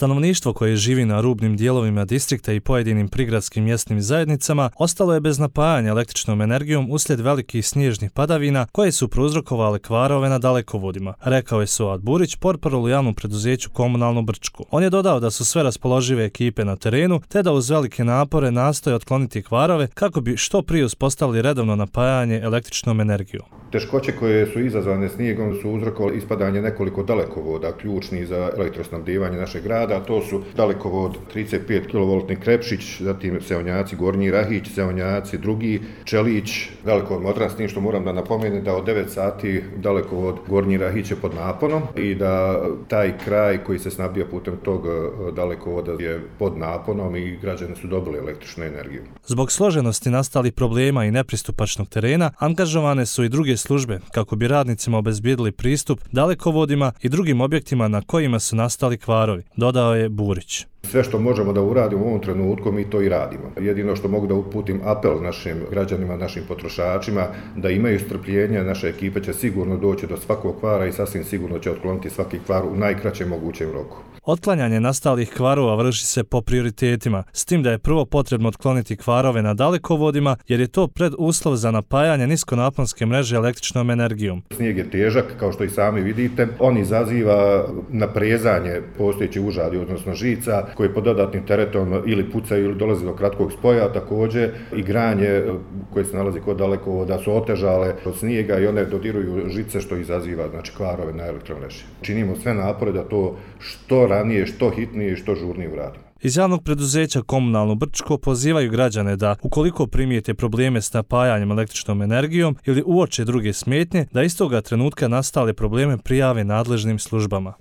Stanovništvo koje živi na rubnim dijelovima distrikta i pojedinim prigradskim mjesnim zajednicama ostalo je bez napajanja električnom energijom uslijed velikih snježnih padavina koje su prouzrokovale kvarove na dalekovodima, rekao je Suad Burić, portparol u javnom preduzeću Komunalno Brčko. On je dodao da su sve raspoložive ekipe na terenu te da uz velike napore nastoje otkloniti kvarove kako bi što prije uspostavili redovno napajanje električnom energijom. Teškoće koje su izazvane snijegom su uzrokovale ispadanje nekoliko dalekovoda ključnih za elektrosnabdijevanje našeg grada, a to su dalekovod 35 kV Krepšić, zatim Seonjaci Gornji Rahić, Seonjaci Drugi, Čelić, dalekovod Modran, s tim što moram da napomenem da od 9 sati dalekovod Gornji Rahić je pod naponom i da taj kraj koji se snabdija putem tog dalekovoda je pod naponom i građani su dobili električnu energiju. Zbog složenosti nastalih problema i nepristupačnog terena, angažovane su i druge službe kako bi radnicima obezbijedili pristup dalekovodima i drugim objektima na kojima su nastali kvarovi, dodao je Burić. Sve što možemo da uradimo u ovom trenutku, mi to i radimo. Jedino što mogu da uputim apel našim građanima, našim potrošačima, da imaju strpljenja, naša ekipa će sigurno doći do svakog kvara i sasvim sigurno će otkloniti svaki kvar u najkraćem mogućem roku. Otklanjanje nastalih kvarova vrši se po prioritetima, s tim da je prvo potrebno otkloniti kvarove na dalekovodima, jer je to preduslov za napajanje niskonaponske mreže električnom energijom. Snijeg je težak, kao što i sami vidite. On izaziva naprezanje postojećih užadi, odnosno žica, koje pod dodatnim teretom ili pucaju ili dolazi do kratkog spoja. Također i granje koje se nalazi kod dalekovoda su otežale od snijega i one dodiruju žice što izaziva kvarove na elektromreži. Činimo sve napore da to što ranije, što hitnije i što žurnije uradimo. Iz javnog preduzeća Komunalno Brčko pozivaju građane da, ukoliko primijete probleme s napajanjem električnom energijom ili uoče druge smetnje, da istoga trenutka nastale probleme prijave nadležnim službama.